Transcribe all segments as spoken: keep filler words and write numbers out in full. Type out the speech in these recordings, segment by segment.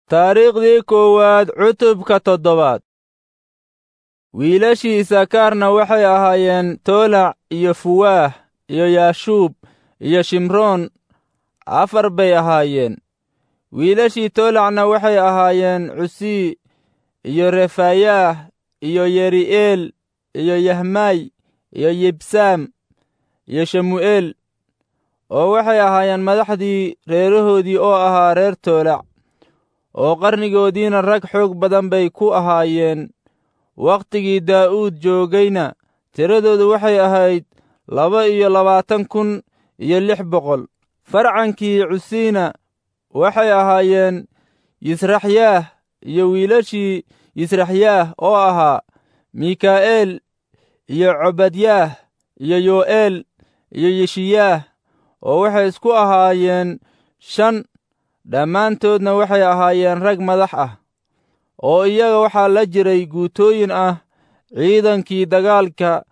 Taariikhdii koowaad cutubka toddobaad. Wiilashii Isakaarna waxay ahaayeen Toolac iyo Fuwaah iyo Yaashuub iyo Shimroon, afar bay ahaayeen. Wiilashii Toolacna waxay ahaayeen Cusii iyo Refayaah iyo Yeri'eel iyo Yahmay iyo Yibsaam iyo Shemu'eel, oo waxay ahaayeen madaxdii reerahoodii oo ahaa reer Toolac, oo qarnigoodiina rag xoog badan bay ku ahaayeen. Wakhtigii Daa'uud joogayna tiradoodu waxay ahayd laba iyo labaatan kun iyo lix boqol. Farcankii Cusiina waxay ahaayeen Yisraxyaah iyo wiilashii Yisraxyaah oo ahaa Mikaa'eel iyo Cobadyaah iyo Yo'eel iyo Yeshiyaah, oo waxay isku ahaayeen shan. Dhammaantoodna waxay ahaayeen rag madax ah, oo iyaga waxaa la jiray guutooyin ah ciidankii dagaalka,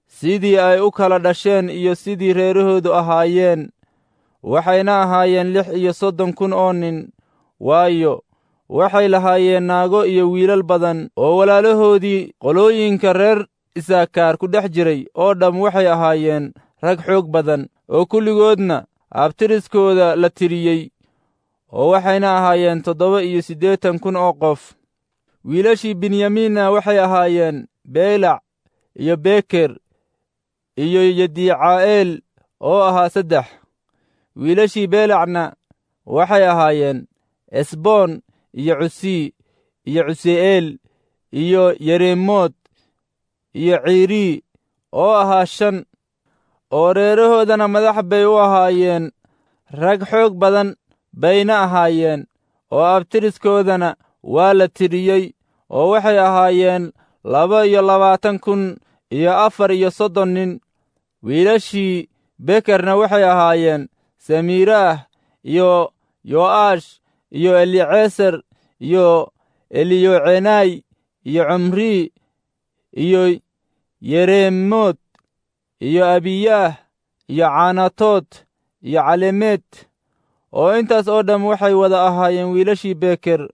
sidii ay u kala dhasheen iyo sidii reerahoodu ahaayeen. Waxayna ahaayeen lix iyo soddon kun oo nin, waayo, waxay lahaayeen naago iyo wiilal badan, oo walaalahoodii qolooyinka reer Isaakaar ku dhex jiray oo dhamm waxay ahaayeen rag xoog badan, oo kulligoodna abtiriskooda la tiriyey, oo waxayna ahaayeen toddoba iyo siddeetan kun oo qof. Wiilashii Binyamiinna waxay ahaayeen Beylac iyo Beker iyo Yedicaa'eel oo ahaa saddex. Wiilashii Beelacna waxay ahaayeen Esboon iyo Cusii iyo Cusi'eel iyo Yeremood iyo Ciirii oo ahaa shan, oo reerahoodana madax bay u ahaayeen, rag xoog badan bayna ahaayeen, oo abtiriskoodana waa la tiriyey, oo waxay ahaayeen laba iyo labaatan kun iyo afar iyo soddon nin. Wiilashii Bekerna waxay ahaayeen Samiiraah iyo Yo'aash iyo Eliceser iyo Eliyocenay iyo Cumrii iyo Yeremood iyo Abiyaah iyo Caanatood iyo Calemeed, oo intaas oo dhamm waxay wada ahaayeen wiilashii Beker,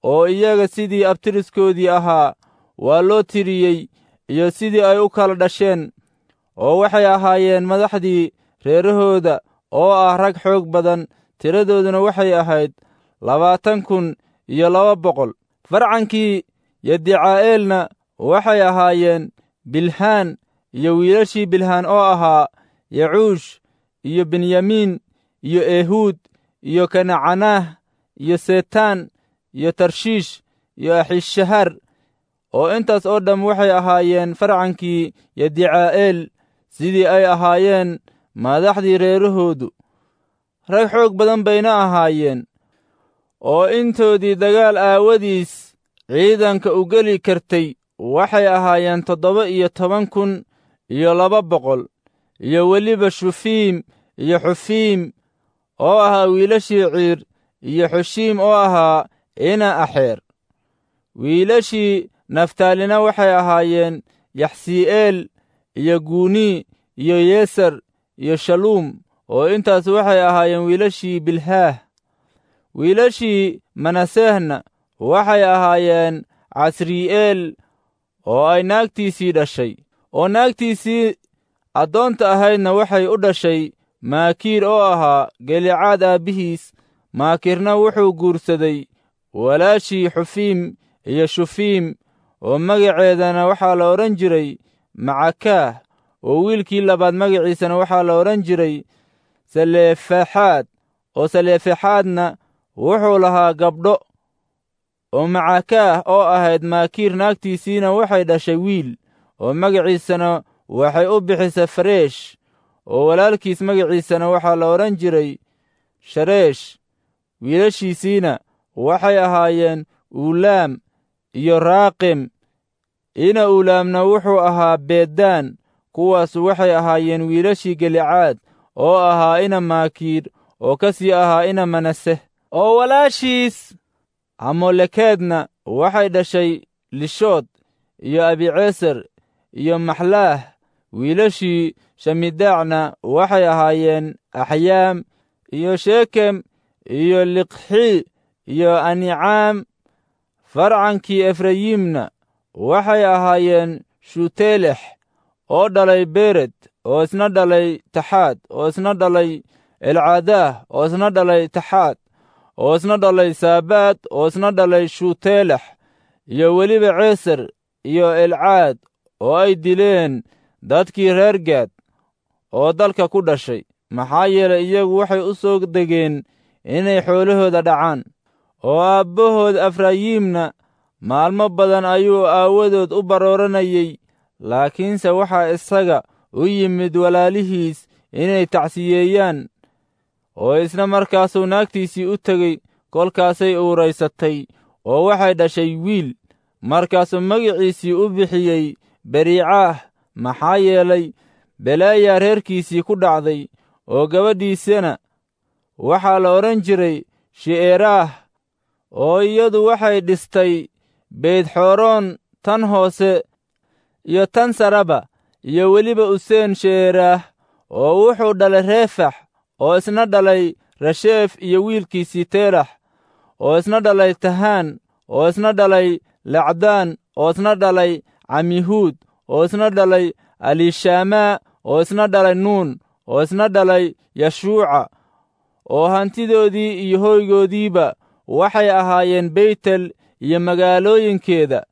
oo iyaga sidii abtiriskoodii ahaa waa loo tiriyey iyo sidii ay u kala dhasheen, oo waxay ahaayeen madaxdii reerahooda oo ah rag xoog badan, tiradooduna waxay ahayd labaatan kun iyo laba boqol. Farcankii Yedicaa'eelna waxay ahaayeen Bilhaan iyo wiilashii Bilhaan oo ahaa Yacuush iyo Benyamiin iyo Ehuud iyo Kanacanaah iyo Setaan iyo Tarshiish iyo Axishahar, oo intaas oo dhamm waxay ahaayeen farcankii Yedicaa'eel sidii ay ahaayeen madaxdii reerahoodu. Rag xoog badan bayna ahaayeen, oo intoodii dagaal aawadiis ciidanka u geli kartay waxay ahaayeen toddoba iyo toban kun iyo laba boqol, iyo weliba Shufiim iyo Xufiim oo ahaa wiilashii Ciir, iyo Xushiim oo ahaa Ina Axeer. Wiilashii Naftaalina waxay ahaayeen Yaxsii'eel iyo Guuni iyo Yeser iyo Shaluum, oo intaas waxay ahaayeen wiilashii Bilhaah. Wiilashii Manasehna waxay ahaayeen Casri'eel oo ay naagtiisii dhashay, oo naagtiisii addoonta ahaydna waxay u dhashay Maakiir oo ahaa Gelicaad aabbihiis. Maakiirna wuxuu guursaday walaashii Xufiim iyo Shufiim, oo magaceedana waxaa la odhan jiray Macakaah, oo wiilkii labaad magaciisana waxaa la odhan jiray Saleefexaad, oo Saleefexaadna wuxuu lahaa gabdho. Oo Macakaah oo ahayd Maakiir naagtiisiina waxay dhashay wiil, oo magaciisana waxay u bixisay Fareesh, oo walaalkiis magaciisana waxaa la odhan jiray Shareesh. Wiilashiisiina waxay ahaayeen Uulaam iyo Raaqim. Ina Uulaamna wuxuu ahaa Beedaan. Kuwaasu waxay ahaayeen wiilashii Gelicaad oo ahaa ina Maakiir oo ka sii ahaa ina Manaseh. Oo walaashiis Amolekeedna waxay dhashay Lishood iyo Abiceser iyo Maxlaah. Wiilashii Shamidaacna waxay ahaayeen Axyaam iyo Shekem iyo Liqxi iyo Anicaam. Farcankii Efrayimna waxay ahaayeen Shuteelex oo dhalay Bered, oo isna dhalay Taxaad, oo isna dhalay Elcadaah, oo isna dhalay Taxaad, oo isna dhalay Saabaad, oo isna dhalay Shuteelex, iyo weliba Ceeser iyo Elcaad oo ay dileen dadkii reer Gaad oo dalka ku dhashay, maxaa yeelay iyagu waxay u soo degeen inay xoolahooda dhacaan. Oo aabbahood Efraayimna maalmo badan ayuu aawadood u barooranayay, laakiinse waxaa isaga u yimid walaalihiis inay tacsiyeeyaan. Oo isna markaasuu naagtiisii u tegey, kolkaasay uuraysatay oo waxay dhashay wiil. Markaasuu magiciisii u bixiyey Beriicaah, maxaa yeelay belaayaa reerkiisii ku dhacday. Oo gabadhiisana waxaa la odhan jiray Shi'eraah, oo iyadu waxay dhistay Beytxooroon tan hoose iyo tan saraba, iyo weliba Useen She'eraah, oo wuxuu dhalay Reefax, oo isna dhalay Rasheef iyo wiilkiisii Teelax, oo isna dhalay Tahaan, oo isna dhalay Lacdaan, oo isna dhalay Camihuud, oo isna dhalay Alishaamaa, oo isna dhalay Nuun, oo isna dhalay Yashuuca. Oo hantidoodii iyo hoygoodiiba waxay ahaayeen Beytel iyo magaalooyinkeeda,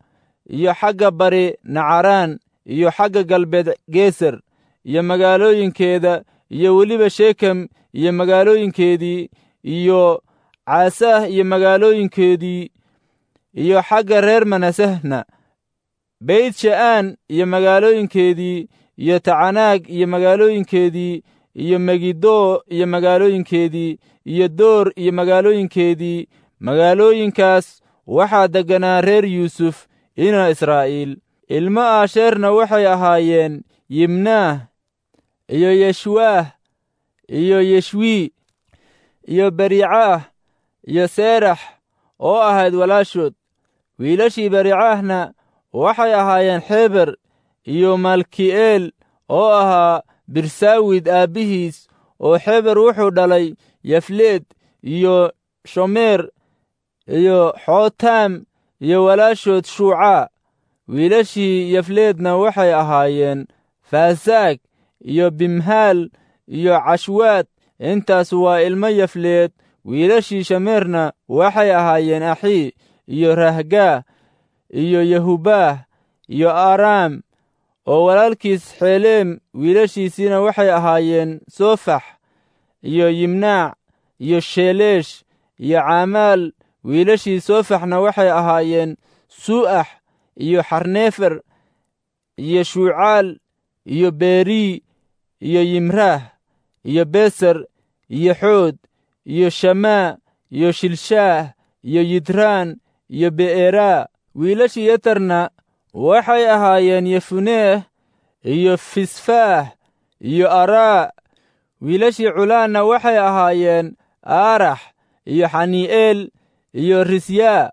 iyo xagga bari Nacaraan, iyo xagga galbeed Geeser iyo magaalooyinkeeda, iyo weliba Shekem iyo magaalooyinkeedii, iyo Caasaah iyo magaalooyinkeedii, iyo xagga reer Manasehna Beyt Sha'aan iyo magaalooyinkeedii, iyo Tacanaag iyo magaalooyinkeedii, iyo Megiddo iyo magaalooyinkeedii, iyo Door iyo magaalooyinkeedii. Magaalooyinkaas waxaa degganaa reer Yuusuf ina Israa'iil. Ilmo Aasheerna waxay ahaayeen Yimnaah iyo Yeshwaah iyo Yeshwii iyo Bericaah iyo Seerax oo ahayd walaashood. Wiilashii Bericaahna waxay ahaayeen Xeber iyo Malki'eel oo ahaa Birsaawid aabbihiis. Oo Xeber wuxuu dhalay Yafleed iyo Shomeer iyo Xootaam iyo walaashood Shuucaa. Wiilashii Yafleedna waxay ahaayeen Faasaag iyo Bimhaal iyo Cashwaad. Intaas waa ilmo Yafleed. Wiilashii Shameerna waxay ahaayeen Axii iyo Rahgaah iyo Yahubaah iyo Aaraam. Oo walaalkiis Xeleem wiilashiisiina waxay ahaayeen Sofax iyo Yimnaac iyo Sheeleesh iyo Caamaal. Wiilashii Sofaxna waxay ahaayeen Su'ax iyo Xarneefer iyo Shuucaal iyo Berii iyo Yimraah iyo Beser iyo Xood iyo Shamaa iyo Shilshaah iyo Yidraan iyo Be'eraa. Wiilashii Yeterna waxay ahaayeen Yefuneeh iyo Fisfaah iyo Araa. Wiilashii Culaanna waxay ahaayeen Aarax iyo Xanii'eel iyo Risyaa.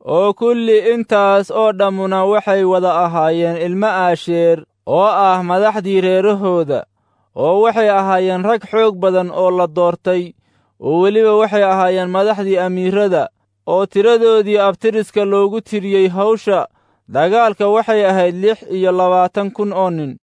Oo kulli intaas oo dhammuna waxay wada ahaayeen ilmo Aasheer oo ah madaxdii reerahooda, oo waxay ahaayeen rag xoog badan oo la doortay, oo weliba waxay ahaayeen madaxdii amiirada, oo tiradoodii abtiriska loogu tiriyey hawsha dagaalka waxay ahayd lix iyo labaatan kun oo nin.